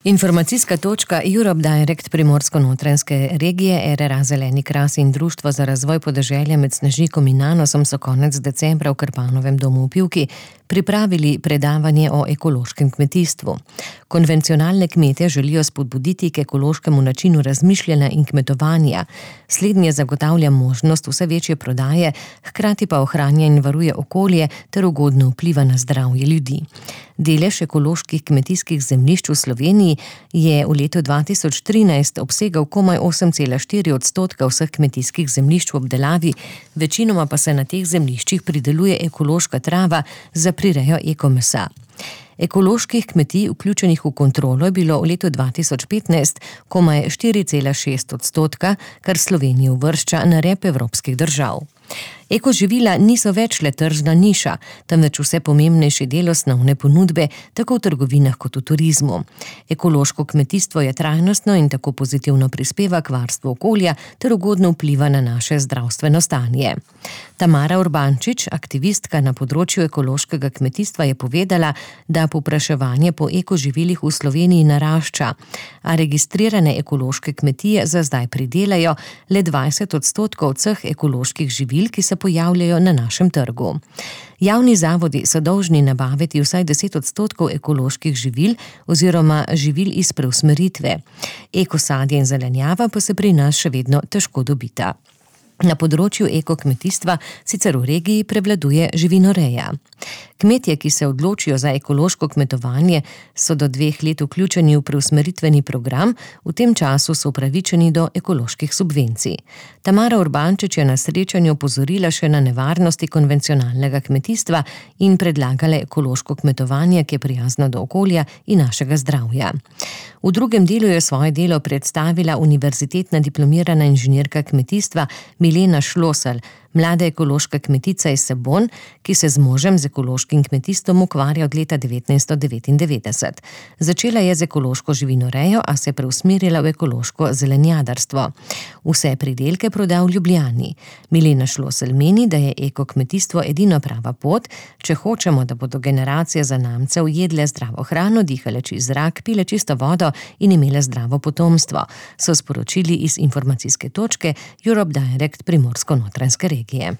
Informacijska točka Europe Direct Primorsko-notranjske regije, RRA Zeleni kras in Društvo za razvoj podeželja med Snežnikom in Nanosom so konec decembra v Krpanovem domu v Pivki pripravili predavanje o ekološkem kmetijstvu. Konvencionalne kmete želijo spodbuditi k ekološkemu načinu razmišljanja in kmetovanja. Slednje zagotavlja možnost vse večje prodaje, hkrati pa ohranja in varuje okolje ter ugodno vpliva na zdravje ljudi. Delež ekoloških kmetijskih zemljišč v Sloveniji je v letu 2013 obsegal komaj 8,4% vseh kmetijskih zemljišč v obdelavi, večinoma pa se na teh zemljiščih prideluje ekološka trava za prirejo ekomesa. Ekoloških kmetij, vključenih v kontrolo, je bilo v letu 2015 komaj 4,6%, kar Slovenijo uvršča na rep evropskih držav. Ekoživila niso več le tržna niša, temveč vse pomembnejši del osnovne ponudbe, tako v trgovinah kot v turizmu. Ekološko kmetijstvo je trajnostno in tako pozitivno prispeva k varstvu okolja ter ugodno vpliva na naše zdravstveno stanje. Tamara Urbančič, aktivistka na področju ekološkega kmetijstva, je povedala, da povpraševanje po ekoživilih v Sloveniji narašča, a registrirane ekološke kmetije za zdaj pridelajo le 20% vseh ekoloških živil, ki se pojavljajo na našem trgu. Javni zavodi so dolžni nabaviti vsaj 10% ekoloških živil oziroma živil iz preusmeritve. Ekosadje in zelenjava pa se pri nas še vedno težko dobita. Na področju ekokmetijstva sicer v regiji prevladuje živinoreja. Kmetje, ki se odločijo za ekološko kmetovanje, so do 2 let vključeni v preusmeritveni program, v tem času so upravičeni do ekoloških subvencij. Tamara Urbančič je na srečanju opozorila še na nevarnosti konvencionalnega kmetijstva in predlagala ekološko kmetovanje, ki je prijazno do okolja in našega zdravja. V drugem delu je svoje delo predstavila univerzitetna diplomirana inženirka kmetijstva Milena Šlosel, mlada ekološka kmetica iz Sebon, ki se z možem z ekološkim kmetijstvom ukvarja od leta 1999. Začela je z ekološko živinorejo, a se preusmerila v ekološko zelenjadarstvo. Vse pridelke proda v Ljubljani. Milena Šlosel meni, da je ekokmetijstvo edina prava pot, če hočemo, da bodo generacije zanamcev jedle zdravo hrano, dihale čist zrak, pile čisto vodo in imele zdravo potomstvo, so sporočili iz informacijske točke Europe Direct Primorsko-notranjske regije.